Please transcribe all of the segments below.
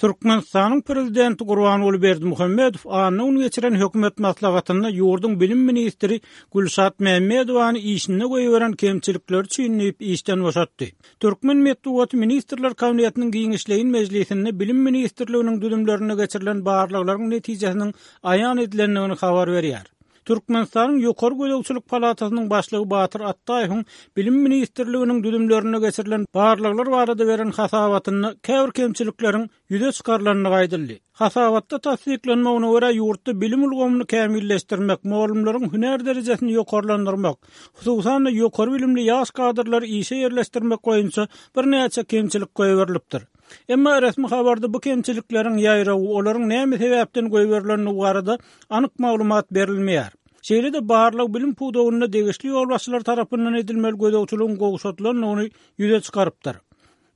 Türkmenistanyň Prezidenti Gurbanguly Berdimuhamedow anna güni geçiren hökümet maslahatynda ýurduň bilim ministri Gülşat Mämmedowany işinde goýberen kemçilikleri üçin diýip işden boşatdy. Türkmen metbugaty Ministrler Kabinetiniň giňişleýin mejlisinde Bilim ministrliginiň düzümlerinde geçirilen barlaglaryň netijesiniň aýan edilendigini habar berýär. Türkmenistanyň Ýokary gözegçilik palatasynyň başlygy Batyr Atdaýewiň Bilim ministrliginiň düzümlerinde geçirilen barlaglar barada beren hasabatynda käbir kemçilikleriň ýüze çykarylandygy aýdyldy. Hasabatda tassyklanmagyna görä, ýurtda bilim ulgamyny kämilleşdirmek, mugallymlaryň hünär derejesini ýokarlandyrmak, hususan-da, ýokary bilimli ýaş kadrlary işe ýerleşdirmek boýunça birnäçe kemçilik goýberilipdir. Emma resmi habarda bu kemçilikleriň ýaýrawy, olaryň näme sebäpden goýberilendigi barada anyk maglumat berilmeýär. Şeýle-de barlag bilim pudagynda degişli ýolbaşçylar tarapyndan edilmeli gözegçiligiň gowşadylandygyny ýüze çykarypdyr.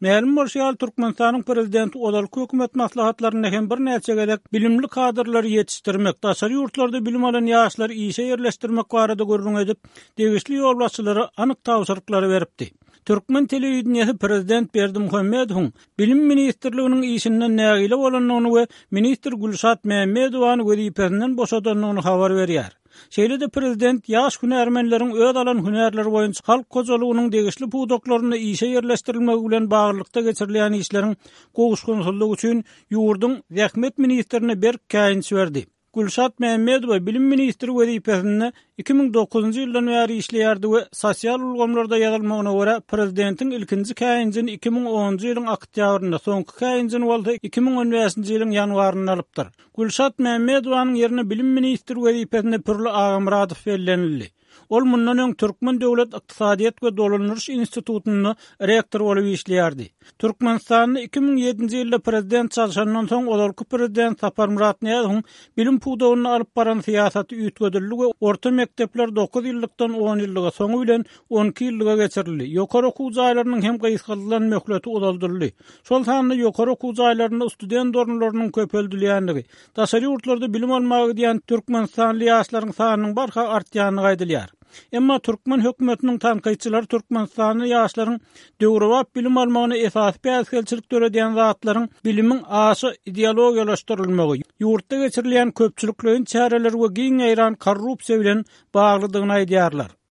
Mälim bolşy ýaly, Türkmenistanyň Prezidenti ozalky hökümet maslahatlarynda hem birnäçe gezek bilimli kadrlary ýetişdirmek, daşary ýurtlarda bilim alan ýaşlary işe ýerleşdirmek barada gürrüň edip, degişli ýolbaşçylara anyk tabşyryklary beripdi. Türkmen telewideniýesi prezident Berdimuhamedowyň Bilim ministrliginiň işinden nägile bolandygyny we ministr Gülşat Mämmedowany wezipesinden boşadandygyny habar berýär. Şeýle-de prezident ýaş hünärmenleriň öz alan hünärleri boýunça halk hojalygynyň degişli pudaklarynda işe ýerleşdirilmegi bilen baglylykda geçirilýän işleriň gowuşgynsyzlygy üçin ýurduň zähmet ministrine berk käýinç berdi. Gülşat Mämmedowa bilim ministri wezipesinde 2009-njy ýyldan bäri işleýärdi we sosial ulgamlarda ýazylmagyna görä, prezidentiň ilkinji käýinjini 2010-njy ýylyň oktýabrynda, soňky käýinjini bolsa 2015-nji ýylyň ýanwarynda alypdyr. Gülşat Mämmedowanyň ýerine bilim ministri wezipesine Pürli Agamyradow bellenildi. Ol mundan öň Türkmen döwlet ykdysadyýet we dolandyryş institutynda rektor bolup işleýärdi. Türkmenistanda 2007-nji ýylda prezident çalşandan soň ozalky prezident Saparmyrat Nyýazowyň bilim pudagynda alyp baran syýasaty üýtgedildi we orta mekdepler dokuz ýyllykdan on ýyllyga, soňy bilen on iki ýyllyga geçirildi. Ýokary okuw jaýlarynyň hem gysgaldylan möhleti uzaldyldy. Şol sanda ýokary okuw jaýlarynda student orunlarynyň köpeldilýändigi, Daşary ýurtlarda bilim almaga gidýän türkmenistanly ýaşlaryň sanynyň barha artýandygy aýdylýar. Emma türkmen hökümetiniň tankytçylary türkmenistanly ýaşlaryň döwrebap bilim almagyna esasy päsgelçilik döredýän zatlaryň bilimiň aşa ideologiýalaşdyrylmagy, ýurtda geçirilýän köpçülikleýin çäreler we giň ýaýran korrupsiýa bilen baglydygyny aýdýarlar.